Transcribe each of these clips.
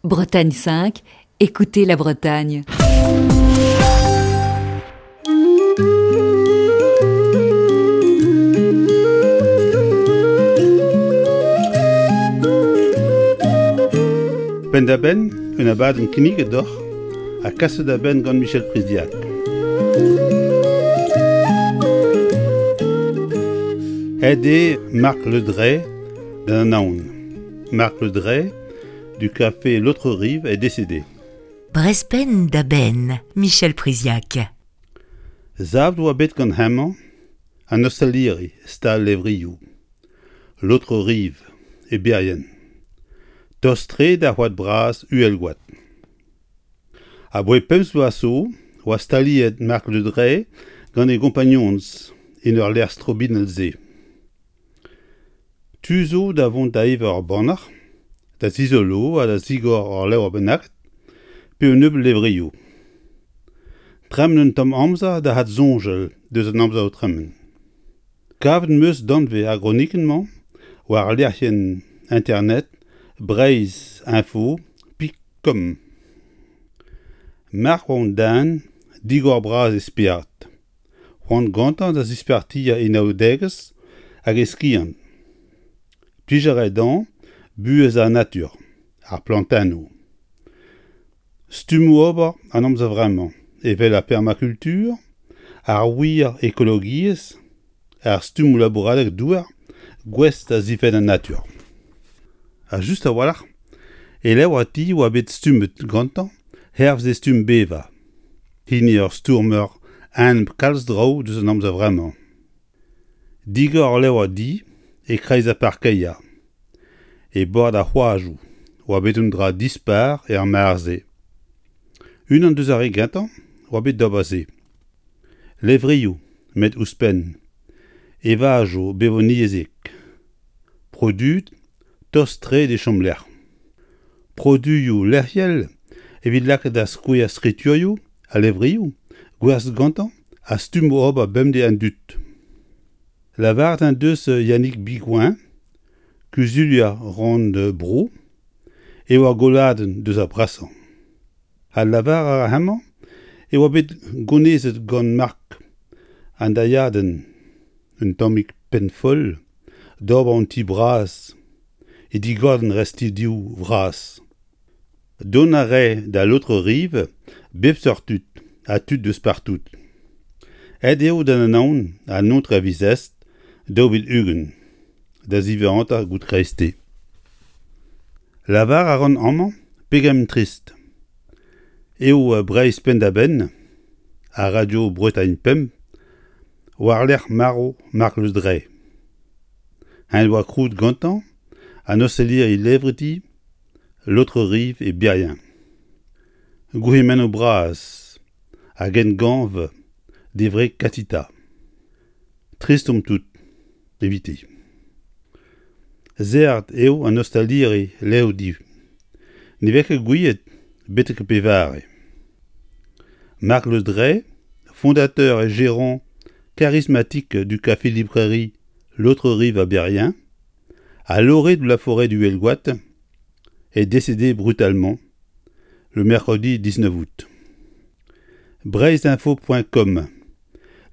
Bretagne 5, écoutez la Bretagne. Penn-da-benn, un abadenn kinniget deoc'h ha kaset da benn gant Michel Priziac. Aet eo Marc Le Dray d'an Anaon. Marc Le Dray du café L'Autre Rive est décédé. Brespenn da benn, Michel Priziac. Savet oa bet gant hemañ an ostaliri stal levrioù L'Autre Rive e Berrien, tost-tre d'ar c'hoad bras Uhelgoad. Aboae pemp vloaz zo oa staliet Marc Le Dray gant e gompagnonez en ur lec'h strobinell-se. Tu zo da vont da evañ ur bannac'h, da zizolo ha da zigor ur levr bennak pe un nebeud levrioù. Tremen un tamm amzer da adsoñjal deus an amzer o tremen. Kavet 'm eus danvez ar gronikenn-mañ war lec'hienn internet breizh-info.com. Marc oa un den digor-bras e spered. C'hoant gantañ da zispartiañ e naoudegezh hag e skiant. Plij a rae dezhañ buhez ar natur, ar plantennoù. Stummoù ober an amzer vremañ, evel ar permakultur, ar wir ekologiezh, ar stummoù labouradeg douar gouest da zifenn an natur. Ha just a-walc'h, e levr ti oa bet stummet gantañ hervez e stumm bevañ, hini ur stourmer enep kalz draoù deus an amzer vremañ. Digor ul levr di e-kreiz ar parkeier, e bord ar c'hoajoù, oa bet un dra dispar er mare-se. Unan deus ar re gentañ oa bet d'ober se. Levrioù, met ouzhpenn, evajoù bevoniezhek, produet tost-tre d'e chomlec'h. Produioù lec'hiel evit lakaat da skouer skriturioù ha levrioù gwerzhet gantañ ha stummoù ober bemdez an dud. Lavaret en deus Yannick Bigouin, kuzulier rannvro, eo ar golladenn deus ar brasañ. Ha lavar a ra hemañ e oa bet gonezet gant Mark an dailhadenn un tammig penn-foll d'ober un ti bras e digordenn restidioù vras. Dont a rae da L'Autre Rive bep seurt tud ha tud deus partout. Aet eo d'an Anaon an aotre a viz Est 2020 da ziwezhatañ goût kreisteiz. Lavar a ran amañ pegement trist eo Breizh penn-da-benn ha Radio Bretagne Pemp war-lerc'h marv Marc Le Dray. Eñ oa krouet gantañ an ostaliri levrdi L'Autre Rive e Berrien. Gourc'hemennoù bras hag emgav d'e wreg Katita. Trist omp tout eviti. Serret eo an ostaliri levrdi. Ne vez ket gouiet betek pevare. Marc Le Dray, fondateur et gérant charismatique du café-librairie L'Autre Rive à Berrien, à l'orée de la forêt du Huelgoat, est décédé brutalement le mercredi 19 août. Breizhinfo.com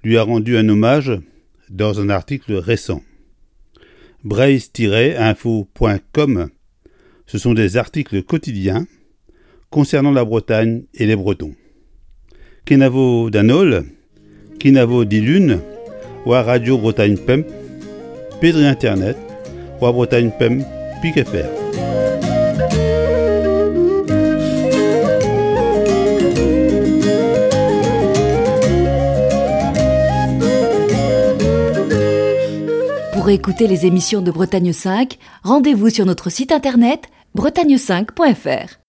lui a rendu un hommage dans un article récent. Breizh-info.com, ce sont des articles quotidiens concernant la Bretagne et les Bretons. Kenavo d'an holl, kenavo dilun war Radio Bretagne Pemp, pe dre internet war Bretagne Pemp pik FR. Pour écouter les émissions de Bretagne 5, rendez-vous sur notre site internet bretagne5.fr.